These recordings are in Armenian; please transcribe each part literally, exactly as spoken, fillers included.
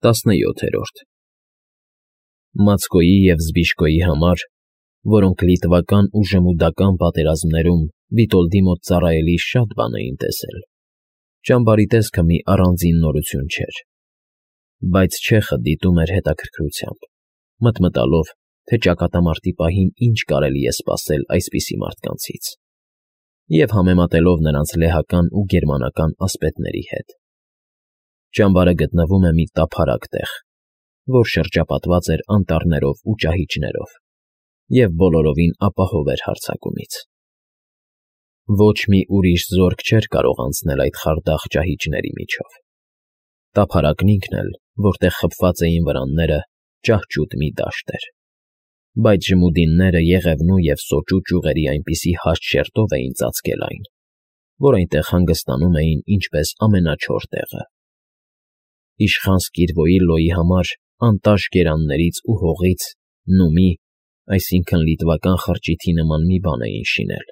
Տասնյոթերորդ Մացկոյի և Զբիշկոյի համար, որոնք լիտվական ու ժմուդական պատերազմներում Վիտոլդի մոտ ծառայելիս շատ բան էին տեսել, ճամբարի տեսքը մի առանձին նորություն չէր, բայց չեխը դիտում էր հետաքրքրությամբ, մտմտալով, թե ճակատամարտի պահին ինչ կարելի է սպասել այսպիսի մարդկանցից, և համեմատելով նրանց լեհական ու գերմանական ասպետների հետ. ճամբարը գտնվում է մի տափարակ տեղ, որ շրջապատված էր անտառներով ու ճահիճներով և բոլորովին ապահով էր հարձակումից. ոչ մի ուրիշ զորք չէր կարող անցնել այդ խարդախ ճահիճների միջով, տափարակն ինքն էլ, որտեղ խփված էին վրանները, ճահճուտ մի դաշտ էր, բայց ժմուդինները Եղևնու և Սոճու ճյուղերի այնպիսի հաստ շերտով էին ծածկել այն, որ այնտեղ հանգստանում էին ինչպես ամենաչոր տեղը. իշխան Սկիրվոիլլոյի համար անտաշ գերաններից ու հողից նումի, այսինքն լիտվական խրճիթի նման մի բան էին շինել,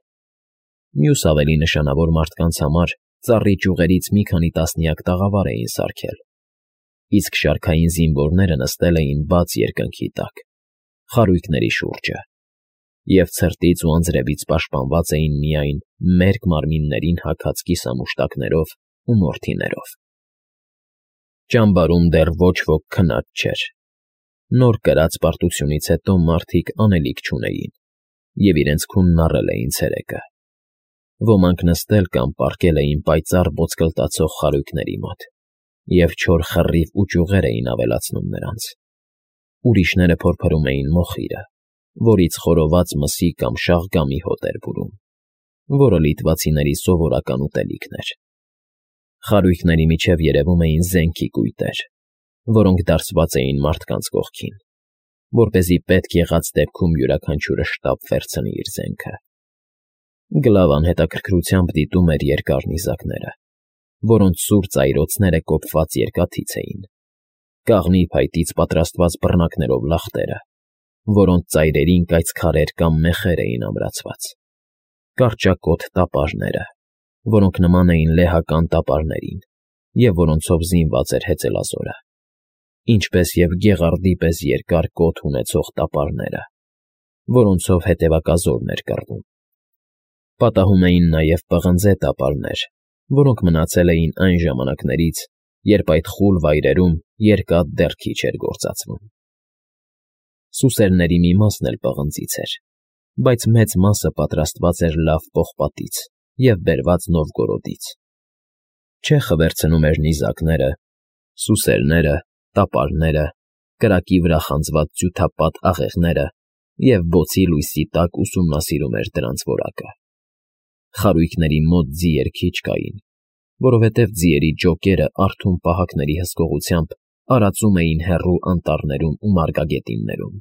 մյուս ավելի նշանավոր մարդկանց համար ծառի ճյուղերից մի քանի տասնյակ տաղավար էին սարքել, իսկ շարքային զինվորները նստել էին բաց երկնքի տակ, խարույկների շուրջը, և ցրտից ու անձրևից պաշտպանված էին միայն մերկ մարմիններին հագած կիսամուշտակներով ու մորթիներով։ Ճամբարում դեռ ոչ ոք քնած չէր, նոր կրած պարտությունից հետո մարդիկ անելիք չունեին և իրենց քունն առել էին ցերեկը, ոմանք նստել կամ պառկել էին պայծառ ոսկլտացող խարույկների մոտ և չոր խռիվ ու ճյուղեր էին ավելացնում նրանց, ուրիշները փորփրում էին մոխիրը, որից խորոված մսի կամ շաղգամի հոտ էր բուրում, որը լիտվացիների սովորական ուտելիքն էր։ Խարույկների միջև երևում էին զենքի կույտեր, որոնք դարսված էին մարդկանց կողքին, որպեսզի պետք եղած դեպքում յուրաքանչյուրը շտապ վերցնի իր զենքը։ Գլավան հետաքրքրությամբ դիտում էր երկար նիզակները, որոնց սուր ծայրոցները կոփված երկաթից էին, կաղնի փայտից պատրաստված բռնակներով լախտերը, որոնց ծայրերին կայծքարեր կամ մեխեր էին ամրացված, կարճակոթ տապարները, որոնք նման էին լեհական տապարներին և որոնցով զինված էր հեծելազորը, ինչպես և գեղարդի պես երկար կոթ ունեցող տապարները, որոնցով հետևակազորն էր կռվում։ Պատահում էին նաև պղնձե տապարներ, որոնք մնացել էին այն ժամանակներից, երբ այդ խուլ վայրերում երկաթ դեռ քիչ էր գործածվում։ Սուսերների մի մասն էլ պղնձից էր, բայց մեծ մասը պատրաստված էր լավ պողպատից և բերված Նովգորոդից։ Չեխը վերցնում էր նիզակները, սուսերները, տապարները, կրակի վրա խանձված ձյութապատ աղեղները և բոցի լույսի տակ ուսումնասիրում էր դրանց որակը։ Խարույկների մոտ ձիեր քիչ կային, որովհետև ձիերի ջոկերը արթուն պահակների հսկողությամբ արածում էին հեռու անտառներում ու մարգագետիններում,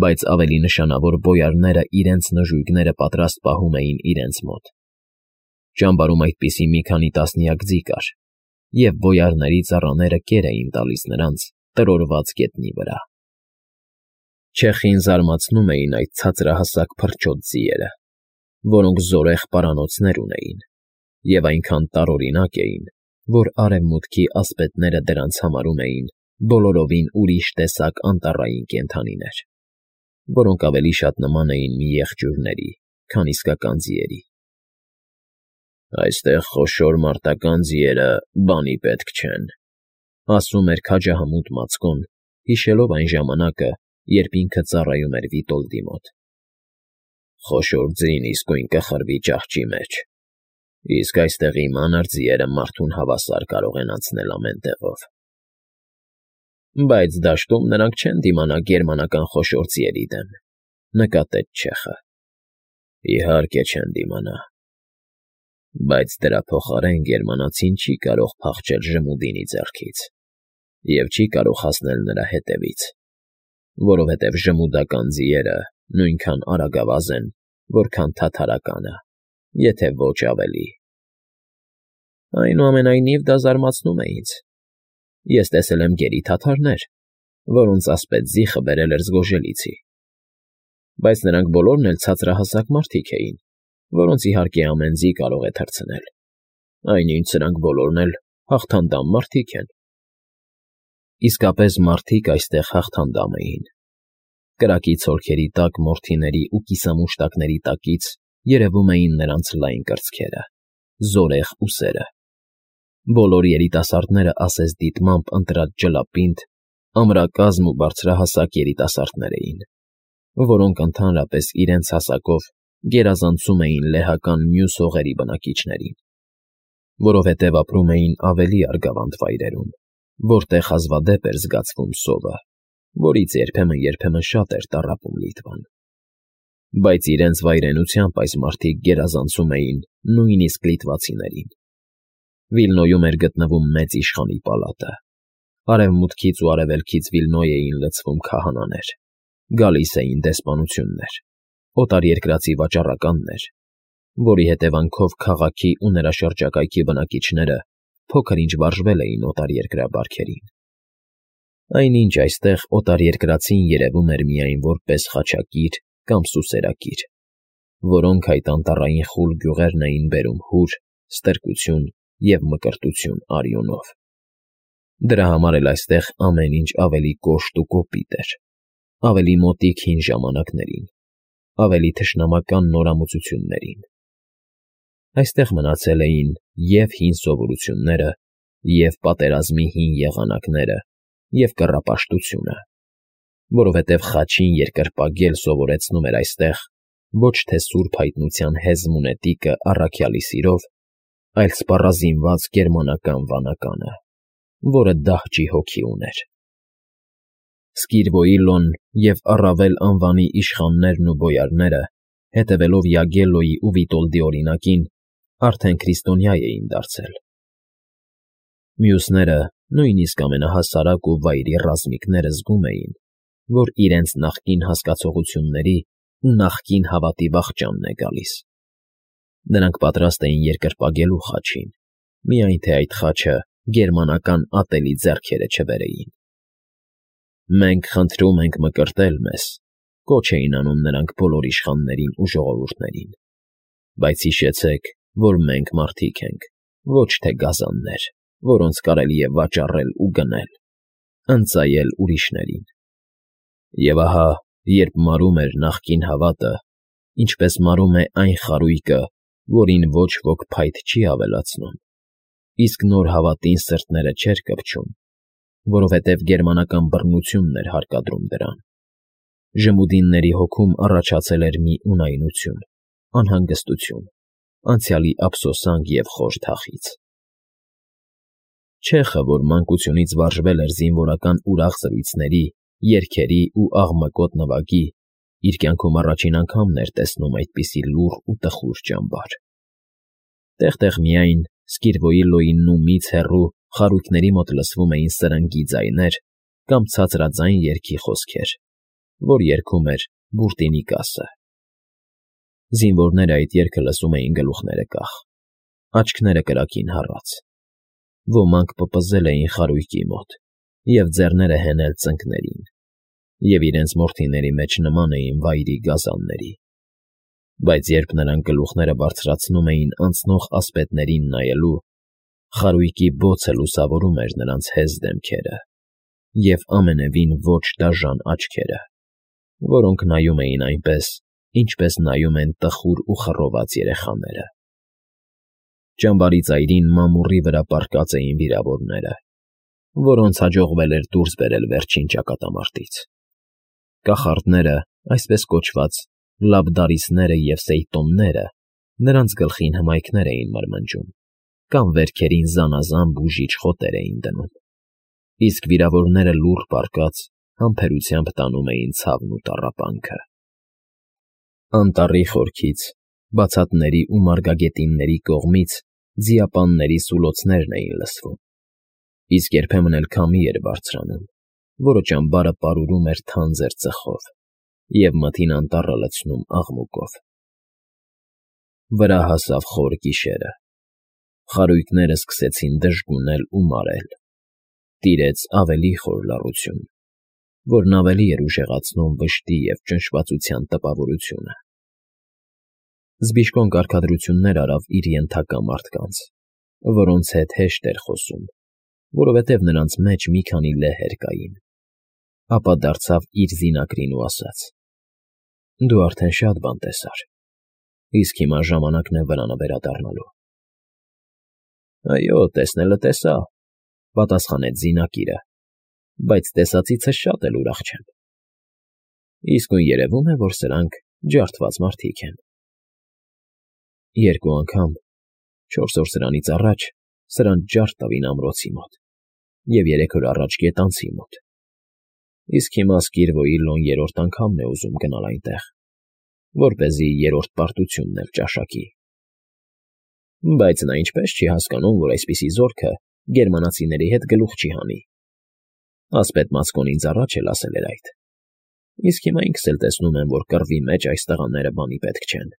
բայց ավելի նշանավոր բոյարները իրենց նժույգները պատրաստ պահում էին իրենց մոտ։ Ճամբարում այդպիսի մի քանի տասնյակ ձի կար, և բոյարների ծառաները կեր էին տալիս նրանց տրորված գետնի վրա։ Չեխին զարմացնում էին այդ ցածրահասակ փրչոտ ձիերը, որոնք զորեղ պարանոցներ ունեին և այնքան տարօրինակ էին, որ արևմուտքի ասպետները դրանց համարում էին բոլորովին ուրիշ տեսակ անտառային կենդանիներ, որոնք ավելի շատ նման էին մի եղջյուրների, քան իսկական ձիերի։ «Այստեղ խոշոր մարտական ձիերը բանի պետք չեն», ասում էր քաջահամուտ Մացկոն, հիշելով այն ժամանակը, երբ ինքը ծառայում էր Վիտոլդի մոտ։ «Խոշոր ձին իսկույն կխրվի ճահճի մեջ, իսկ այստեղի մանր ձիերը մարդուն հավասար կարող են անցնել ամեն տեղով»։ «Բայց դաշտում նրանք չեն դիմանա գերմանական խոշոր ձիերի դեմ,֊ նկատեց չեխը։ «Իհարկե չեն դիմանա, բայց դրա փոխարեն գերմանացին չի կարող փախչել Ժմուդինի ձեռքից և չի կարող հասնել նրա հետևից, որովհետև ժմուդական ձիերը նույնքան արագավազ են, որքան թաթարականը, եթե ոչ ավելի»։ «Այնուամենայնիվ դա զարմացնում է ինձ. ես տեսել եմ գերի թաթարներ, որոնց ասպետ զիխը բերել էր Զգոժելիցի, բայց նրանք բոլորն էլ ցածրահասակ մարդիկ էին, որոնց իհարկե ամեն ձի կարող է թռցնել, այնինչ սրանք բոլորն էլ հաղթանդամ մարդիկ են»։ Իսկապես մարդիկ այստեղ հաղթանդամ էին։ Կրակի ցոլքերի տակ մորթիների ու կիսամուշտակների տակից երևում էին նրանց լայն կրծքերը, զորեղ ուսերը։ Բոլոր երիտասարդները ասես դիտմամբ ընտրած ջլապինդ, ամրակազմ ու բարձրահասակ երիտասարդներ էին, որոնք ընդհանրապես իրենց հասակով գերազանցում էին լեհական մյուս հողերի բնակիչներին, որովհետև ապրում էին ավելի արգավանդ վայրերում, որտեղ հազվադեպ էր զգացվում սովը, որից երբեմն֊երբեմն շատ էր տառապում Լիտվան։ Բայց իրենց վայրենությամբ այս մարդիկ գերազանցում էին նույնիսկ լիտվացիներին։ Վիլնոյում էր գտնվում մեծ իշխանի պալատը։ Արևմուտքից ու արևելքից Վիլնոյ էին լցվում քահանաներ, գալիս էին դեսպանություններ, օտարերկրացի վաճառականներ, որի հետևանքով քաղաքի ու նրա շրջակայքի բնակիչները փոքր-ինչ վարժվել էին օտարերկրաբարքերին։ Այնինչ այստեղ օտարերկրացին երևում էր միայն որպես խաչակիր կամ սուսերակիր, որոնք այդ անտառային խուլ գյուղերն էին բերում հուր, ստրկություն և մկրտություն արյունով։ Դրա համար էլ այստեղ ամեն ինչ ավելի կոշտ ու կոպիտ էր, ավելի մոտիկ հին ժամանակներին, ավելի թշնամական նորամուծություններին։ Այստեղ մնացել էին և՛ հին սովորությունները, և՛ պատերազմի հին եղանակները, և կռապաշտությունը, որովհետև խաչին երկրպագել սովորեցնում էր այստեղ ոչ թե սուրբ հայտնության հեզմ ունետիկը առաքյալի սիրով, այլ սպառազինված գերմանական վանականը, որը դահճի հոգի ուներ։ Սկիրվոիլոն և առավել անվանի իշխաններն ու բոյարները, հետևելով Յագելլոյի ու Վիտոլդի օրինակին, արդեն քրիստոնյա էին դարձել։ Մյուսները, նույնիսկ ամենահասարակ ու վայրի ռազմիկները զգում էին, որ իրենց նախկին հասկացողությունների ու նախկին հավատի վախճանն է գալիս։ Նրանք պատրաստ էին երկրպագելու խաչին, միայն թե այդ խաչը գերմանական ատելի ձեռքերը չբերեին։ «Մենք խնդրում ենք մկրտել մեզ», կոչ էին անում նրանք բոլոր իշխաններին ու ժողովուրդներին, «բայց հիշեցեք, որ մենք մարդիկ ենք, ոչ թե գազաններ, որոնց կարելի է վաճառել ու գնել, ընծայել ուրիշներին»։ Եվ ահա, երբ մարում էր նախկին հավատը, ինչպես մարում է այն խարույկը, որին ոչ ոք փայտ չի ավելացնում, իսկ նոր հավատին սրտները չէր կպչում, որովհետև գերմանական բռնությունն էր հարկադրում դրան, ժմուդինների հոգում առաջացել էր մի ունայնություն, անհանգստություն, անցյալի ափսոսանք և խոր թախիծ։ Չեխը, որ մանկությունից վարժվել էր զինվորական ուրախ զրույցների, երգերի ու աղմկոտ նվագի, իր կյանքում առաջին անգամն էր տեսնում այդպիսի լուռ ու տխուր ճամբար։ Տեղ֊տեղ միայն Սկիրվոիլոյի նումից հեռու խարույկների մոտ լսվում էին սրնգի ձայներ կամ ցածրաձայն երգի խոսքեր, որ երգում էր Բուրտինիկասը։ Զինվորները այդ երգը լսում էին գլուխները կախ, աչքները կրակին հառած։ Ոմանք պպզել էին խարույկի մոտ և ձեռները հենել ծնկներին, և իրենց մորթիների մեջ նման էին վայրի գազանների։ Բայց երբ նրանք գլուխները բարձրացնում էին անցնող ասպետներին նայելու, խարույկի բոցը լուսավորում էր նրանց հեզ դեմքերը և ամենևին ոչ դաժան աչքերը, որոնք նայում էին այնպես, ինչպես նայում են տխուր ու խռոված երեխաները։ Ճամբարի ծայրին մամուռի վրա պառկած էին վիրավորները, որոնց հաջողվել էր դուրս բերել վերջին ճակատամարտից։ Կախարդները, այսպես կոչված, լաբդարիսները և սեյտոնները նրանց գլխին հմայքներ էին մրմնջում կամ վերքերին զանազան բուժիչ խոտեր էին դնում, իսկ վիրավորները լուռ պառկած համբերությամբ տանում էին ցավն ու տառապանքը։ Անտառի խորքից, բացատների ու մարգագետինների կողմից ձիապանների սուլոցներն էին լսվում, իսկ երբեմն էլ քամի էր բարձրանում, որը ճամբարը պարուրում էր թանձր ծխով և մթին անտառը լցնում աղմուկով։ Վրա հասավ խոր գիշերը։ Խարույկները սկսեցին դժգունել ու մարել։ Տիրեց ավելի խոր լռություն, որն ավելի էր ուժեղացնում վշտի և ճնշվածության տպավորությունը։ Զբիշկոն կարգադրություններ արավ իր ենթակա մարդկանց, որոնց հետ հեշտ էր խոսում, որովհետև նրանց մեջ մի քանի լեհեր կային, ապա դարձավ իր զինակրին ու ասաց. «Դու արդեն շատ բան տեսար, իսկ հիմա ժամանակն է վրանը վերադառնալու»։ «Այո, տեսնելը տեսա,֊ պատասխանեց զինակիրը,֊ բայց տեսածիցս շատ էլ ուրախ չեմ։ Իսկույն երևում է, որ սրանք ջարդված մարդիկ են»։ Երկու անգամ, չորս օր սրանից առաջ, սրանց ջարդ տվին ամրոցի մոտ և երեք օր առաջ գետանցի մոտ, իսկ հիմա Սկիրվոյի Լոն երրորդ անգամն է ուզում գնալ այնտեղ, որպեսզի երրորդ պարտությունն էլ ճաշակի։ Բայց նա ինչպես չի հասկանում, որ այսպիսի զորքը գերմանացիների հետ գլուխ չի հանի։ Ասպետ Մացկոն ինձ առաջ էլ ասել էր այդ, իսկ հիմա ինքս էլ տեսնում եմ, որ կռվի մեջ այս տղաները բանի պետք չեն։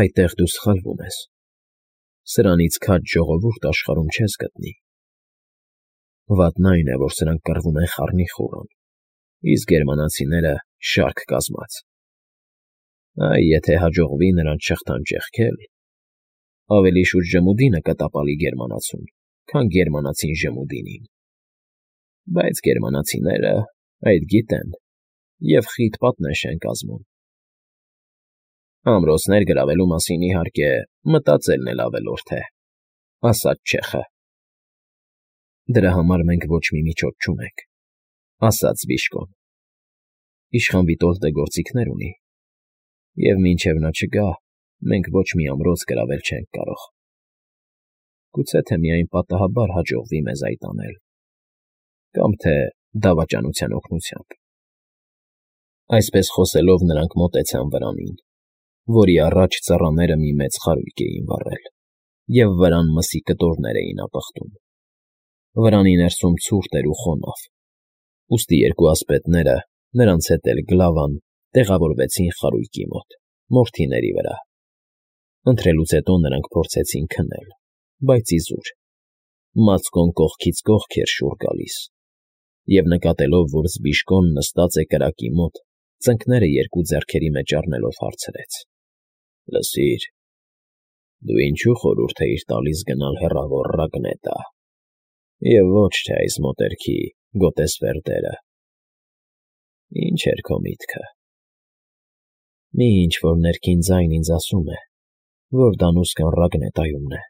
Այդտեղ դու սխալվում ես, սրանից քաջ ժողովուրդ աշխարհում չես գտնի։ Վատն այն է, որ սրանք կռվում են խառնիխուռն, իսկ գերմանացիները շարք կազմած։ Այ եթե հաջողվի նրանց շղթան ճեղքել, ավելի շուտ Ժմուդինը կտապալի գերմանացուն, քան գերմանացին Ժմուդինին։ Բայց գերմանացիները այդ գիտեն և խիտ պատնեշ են կազմում։ Ամրոցներ գրավելու մասին, իհարկե, մտածելն էլ ավելորդ է,֊ ասաց չեխը։ Դրա համար մենք ոչ մի միջոց չունենք,֊ ասաց Բիժկոն։ Իշխան Վիտոլդը գործիքներ ունի, և մինչև նա չգա, մենք ոչ մի ամրոց գրավել չենք կարող։ Գուցե թե միայն պատահաբար հաջողվի մեզ այդ անել, կամ թե դավաճանության օգնությամբ։ Այսպես խոսելով նրանք մոտեցան վրանին, որի առաջ ծառաները մի մեծ խարույկ էին վառել, և վրան մսի կտորներ էին ապխտում։ Վրանի ներսում ցուրտ էր ու խոնավ, ուստի երկու ասպետները, նրանց հետ էլ Գլավան, տեղավորվեցին խարույկի մոտ, մորթիների վրա։ Ընթրելուց հետո նրանք փորձեցին քնել, բայց իզուր։ Մացկոն կողքից կողք էր շուռ գալիս, և նկատելով, որ Զբիժկոն նստած է կրակի մոտ, ծնկները երկու ձեռքերի մեջ առնելով հարցրեց. «Լսիր, դու ինչու խորհուրդ էիր տալիս գնալ հեռավոր Ռագնետա, և ոչ թե այս մոտերքի Գոտեսվերդերը։ Ինչ էր քո միտքը»։ Մի ինչ֊որ ներքին ձայն ինձ ասում է, որ Դանուսկան Ռագնետայումն է,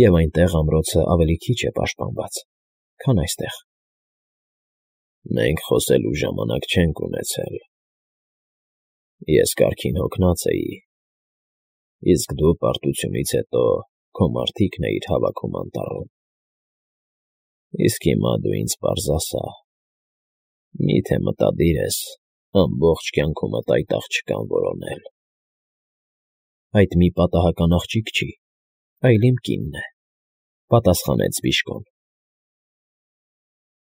և այնտեղ ամրոցը ավելի քիչ է պաշտպանված, քան այստեղ։ Մենք խոսելու ժամանակ չենք ունեցել։ Ես կարգին հոգնած էի, իսկ դու պարտությունից հետո քո մարդիկն էիր հավաքում անտառում։ Իսկ հիմա դու ինձ պարզ ասա, մի՞թե մտադիր ես ամբողջ կյանքումդ այդ աղջկան որոնել։ Այդ մի պատահական աղջիկ չի, այլ իմ կինն է,֊ պատասխանեց Բիժկոն։